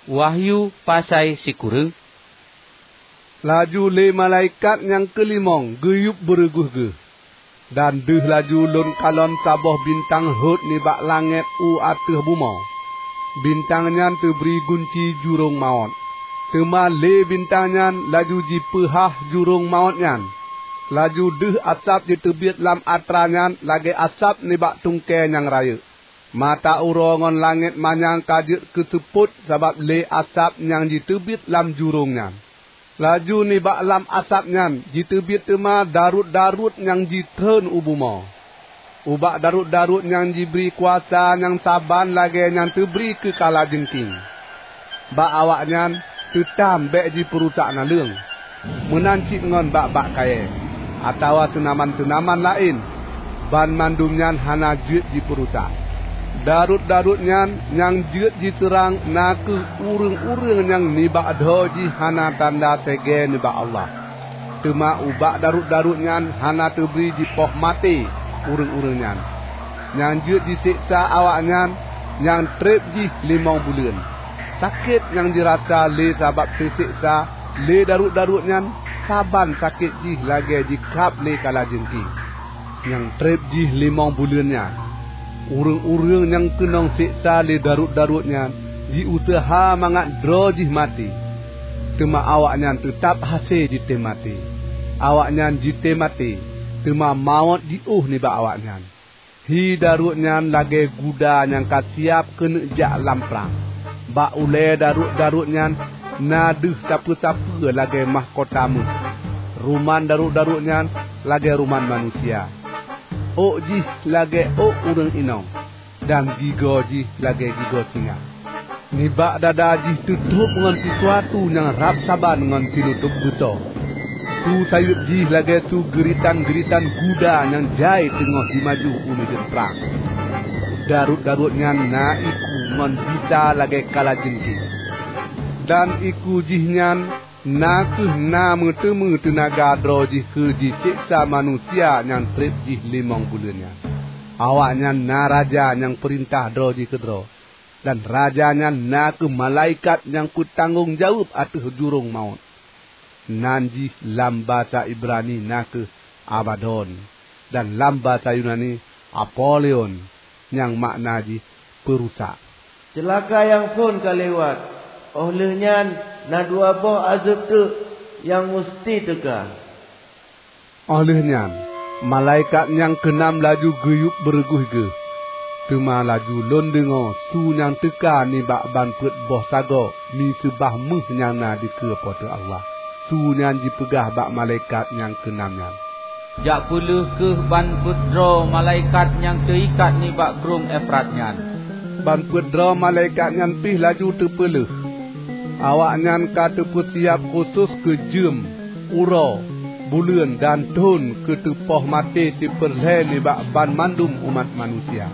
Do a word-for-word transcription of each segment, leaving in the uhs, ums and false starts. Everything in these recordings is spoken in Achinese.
Wahyu pasai sikureueng. Laju lé malaikat nyang keulimong geuyueb beureuguih geuh, dan deuh laju lôn kalon saboh bintang rhot nibak langét u ateueh bumoe. Bintang nyan teubri gunci jurông mawöt. Teuma lé bintang nyan laju jipeuhah jurông mawöt nyan. Laju deuh asab jiteubiet lam atra nyan lagée asab nibak tungkée nyang rayeuk. Mata uroe ngon langét manyang ka jeuet keuseupôt sabab lé asab nyang jiteubiet lam jurông nyan. Laju nibak lam asab nyan jiteubiet teuma daruet-daruet nyang jitreun u bumoe. Ubak daruet-daruet nyan jibri kuasa nyang saban lagée nyang teubri keu kalajengking. Bak awaknyan teutam bék jipeurusak naleueng, meunan cit ngon bak-bak kayée, atawa teunaman-teunaman laén, banmandum nyan hana jeuet jipeurusak. Daruet-daruet nyan nyang jeuet jiseurang na kheueh ureuëng-ureuëng nyang nibak droe jih hana tanda segée nibak Allah. Teuma ubak daruet-daruet nyan hana teubri jipoh maté ureuëng-ureuëng nyan. Nyang jeuet jiseksa awaknyan nyang treb jih limong buleuen. Sakét nyang jirasa lé sabab teuseksa lé daruet-daruet nyan saban sakét jih lagée jikrab lé kalajengking. Nyang treb jih limong buleuen nyan. Ureuëng-ureuëng nyang keunong seksa lé daruet-daruet nyan jiuseuha mangat droe jih maté, teuma awaknyan teutab hase jitem maté. Awaknyan jitem maté, teuma mawöt jiôh nibak awaknyan. Hi daruet nyan lagée guda nyang ka siab keuneuk jak lam prang. Bak ulée daruet-daruet nyan na deuh sapeue-sapeue lagée mahkota méuh. Ruman daruet-daruet nyan lagée ruman manusia. Ôk jih lagée ôk ureuëng inong, dan gigoe jih lagée gigoe singa. Nibak dada jih teutrôb ngon sisuatu nyang rab saban ngon sinutôb beusoe. Su sayeueb jih lagée su geuritan-geuritan guda nyang jai teungoh jimaju u mideuen prang. Daruet-daruet nyan na iku ngon bisa lagée kalajengking. Dan iku jih nyan na kheueh na meuteumé teunaga droe jih keu jiseksa manusia nyang treb jih limong buleuen nyan. Awaknyan na raja nyang peurintah droe jih keudroe, dan raja nyan na kheueh malaikat nyang peutanggong jaweueb ateueh jurông mawöt. Nan jih lam basa Ibrani na kheueh Abadon, dan lam basa Yunani Apoleon, nyang makna jih peurusak. Ceulaka nyang phon ka lewat, óh lheueh nyan na dua boh azeub teuk nyang musti teuka. Óh lheueh nyan, malaikat nyang keunam laju geuyueb beureuguih geuh. Teuma laju lôn deungoe su nyang teuka nibak ban peuet boh sagoe miseubah méuh nyang na dikeue Po teu Allah. Su nyan jipeugah bak malaikat nyang keunam nyan, "Jak peulheueh kheueh ban peuet droe malaikat nyang teuikat nibak Krueng Efrat nyan." Ban peuet droe malaikat nyan pih laju teupeulheueh. Awaknyan ka teupeusiab khusos keu jeuem, uroe, buleuen, dan thon keu teupoh maté sipeurlhée nibak banmandum umat manusia.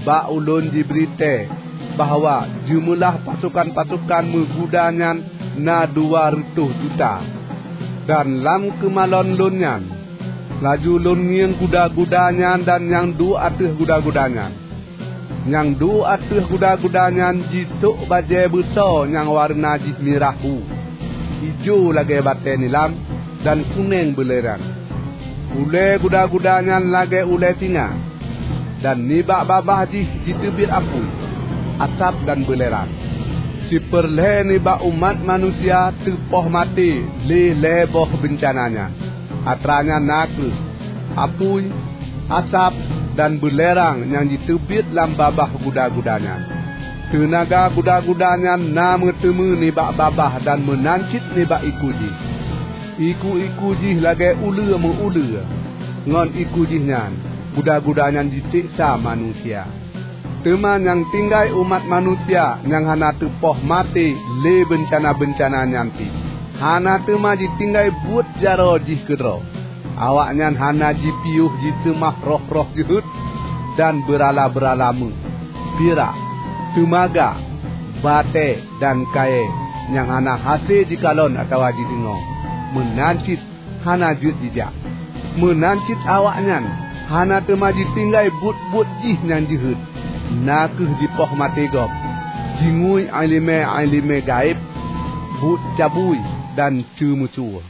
Bak ulôn jibri tée bahwa jeumeulah pasokan-pasokan meuguda nyan na dua reutôh juta. Dan lam keumalon lôn nyan, laju lôn ngieng guda-guda nyan dan nyang duek ateueh guda-guda nyan. Nyang duek ateueh guda-guda nyan jisôk bajée beusoe nyang wareuna jih mirah hu, ijo lagée batée nilam, dan kuneng beulerang. Ulée guda-guda nyan lagée ulée singa, dan nibak babah jih jiteubiet apui, asab dan beulerang. Sipeurlhée nibak umat manusia teupoh maté lé lhée boh beuncana nyan. Atra nyan na kheueh apui, asab, dan beulerang nyang jiteubiet lam babah guda-guda nyan. Teunaga guda-guda nyan na meuteumé nibak babah dan meunan cit nibak iku jih. Iku-iku jih lagée uleue meu-uleue. Ngon iku jih nyan, guda-guda nyan jiseksa manusia. Teuma nyang tinggai umat manusia nyang hana teupoh maté lé beuncana-beuncana nyan pih, hana teuma jitinggai buet jaroe jih keudroe. Awaknyan hana jipiôh jiseumah roh-roh jeuhet, dan beurala-beurala méuh, pirak, teumaga, batée, dan kayée nyang hana hase jikalon atawa jideungoe, meunan cit hana jeuet jijak. Meunan cit awaknyan hana teuma jitinggai buet-buet jih nyang jeuhet, na kheueh jipoh maté gob. Jingui iéleumé-iéleumé gaéb, buet cabui dan ceumeucue.